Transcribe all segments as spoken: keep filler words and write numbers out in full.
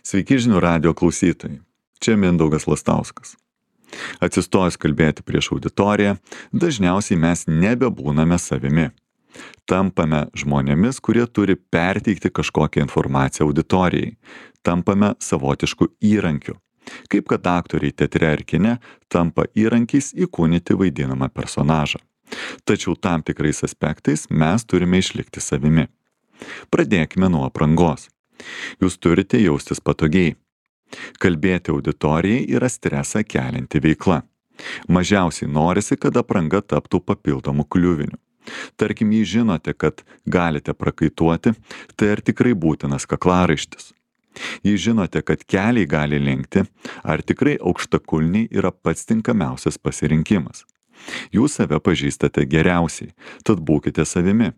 Sveiki žinių radijo klausytojai. Čia Mindaugas Lastauskas. Atsistojus kalbėti prieš auditoriją, dažniausiai mes nebebūname savimi. Tampame žmonėmis, kurie turi perteikti kažkokią informaciją auditorijai. Tampame savotišku įrankiu. Kaip kad aktoriai teatre ar kine tampa įrankiais įkūnyti vaidinamą personažą. Tačiau tam tikrais aspektais mes turime išlikti savimi. Pradėkime nuo aprangos. Jūs turite jaustis patogiai. Kalbėti auditorijai yra stresą kelianti veikla. Mažiausiai norisi, kad apranga taptų papildomų kliuvinių. Tarkim, jei žinote, kad galite prakaituoti, tai ar tikrai būtinas kaklaraištis? Jei žinote, kad keliai gali lenkti, ar tikrai aukštakulniai yra pats tinkamiausias pasirinkimas? Jūs save pažįstate geriausiai, tad būkite savimi.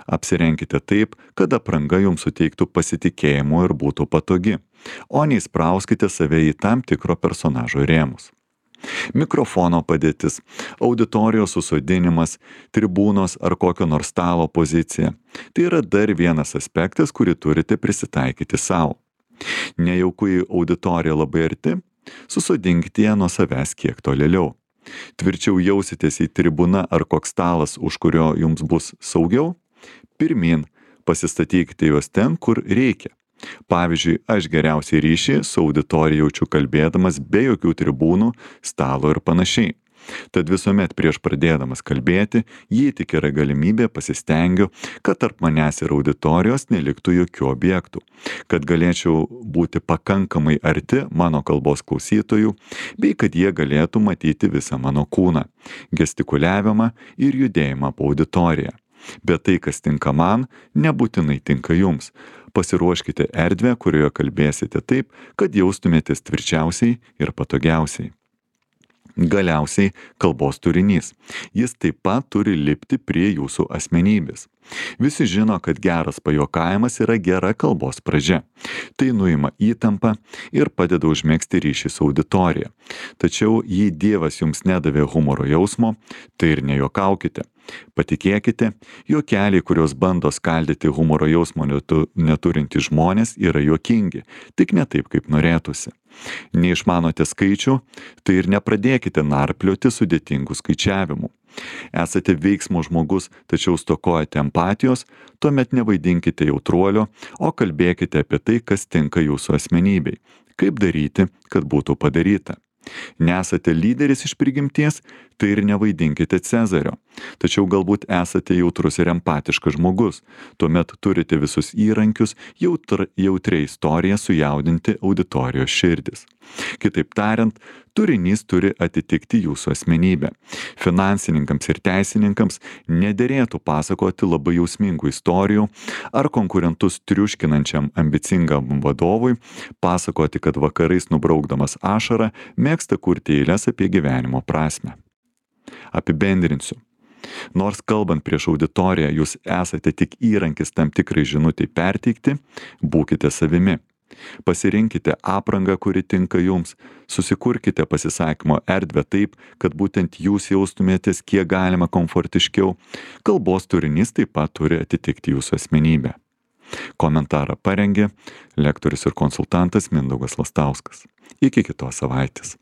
Apsirenkite taip, kad apranga jums suteiktų pasitikėjimo ir būtų patogi, o neįsprauskite save į tam tikro personažo rėmus. Mikrofono padėtis, auditorijos susodinimas, tribūnos ar kokio nors stalo pozicija – tai yra dar vienas aspektas, kurį turite prisitaikyti savo. Nejauku į auditoriją labai arti, susodinkite ją nuo savęs kiek tolėliau. Tvirčiau jausitės į tribūną ar koks stalas, už kurio jums bus saugiau? Pirmin, pasistatykite juos ten, kur reikia. Pavyzdžiui, aš geriausiai ryšį su auditorija jaučiu kalbėdamas be jokių tribūnų, stalo ir panašiai. Tad visuomet prieš pradėdamas kalbėti, jei tik yra galimybė, pasistengiu, kad tarp manęs ir auditorijos neliktų jokių objektų, kad galėčiau būti pakankamai arti mano kalbos klausytojų, bei kad jie galėtų matyti visą mano kūną, gestikuliavimą ir judėjimą po auditoriją. Bet tai, kas tinka man, nebūtinai tinka jums. Pasiruoškite erdvę, kurioje kalbėsite taip, kad jaustumėtės tvirčiausiai ir patogiausiai. Galiausiai kalbos turinys. Jis taip pat turi lipti prie jūsų asmenybės. Visi žino, kad geras pajuokavimas yra gera kalbos pradžia. Tai nuima įtampą ir padeda užmegzti ryšį su auditorija. Tačiau jei Dievas jums nedavė humoro jausmo, tai ir nejuokaukite. Patikėkite, juokeliai, kurios bando skaldyti humoro jausmo neturintys žmonės, yra juokingi, tik ne taip, kaip norėtųsi. Neišmanote skaičių, tai ir nepradėkite narplioti sudėtingų skaičiavimų. Esate veiksmo žmogus, tačiau stokojate empatijos, tuomet nevaidinkite jautruolio, o kalbėkite apie tai, kas tinka jūsų asmenybei. Kaip daryti, kad būtų padaryta. Nesate lyderis iš prigimties, tai ir nevaidinkite Cezario. Tačiau galbūt esate jautrus ir empatiškas žmogus. Tuomet turite visus įrankius jautr, jautriai istoriją sujaudinti auditorijos širdis. Kitaip tariant, turinys turi atitikti jūsų asmenybę. Finansininkams ir teisininkams nederėtų pasakoti labai jausmingų istorijų ar konkurentus triuškinančiam ambicingam vadovui pasakoti, kad vakarais nubraukdamas ašarą mėgsta kurti eiles apie gyvenimo prasmę. Apibendrinsiu. Nors kalbant prieš auditoriją jūs esate tik įrankis tam tikrai žinutei perteikti, būkite savimi. Pasirinkite aprangą, kuri tinka jums, susikurkite pasisakymo erdvę taip, kad būtent jūs jaustumėtės kiek galima komfortiškiau. Kalbos turinys taip pat turi atitikti jūsų asmenybę. Komentarą parengė lektorius ir konsultantas Mindaugas Lastauskas. Iki kitos savaitės.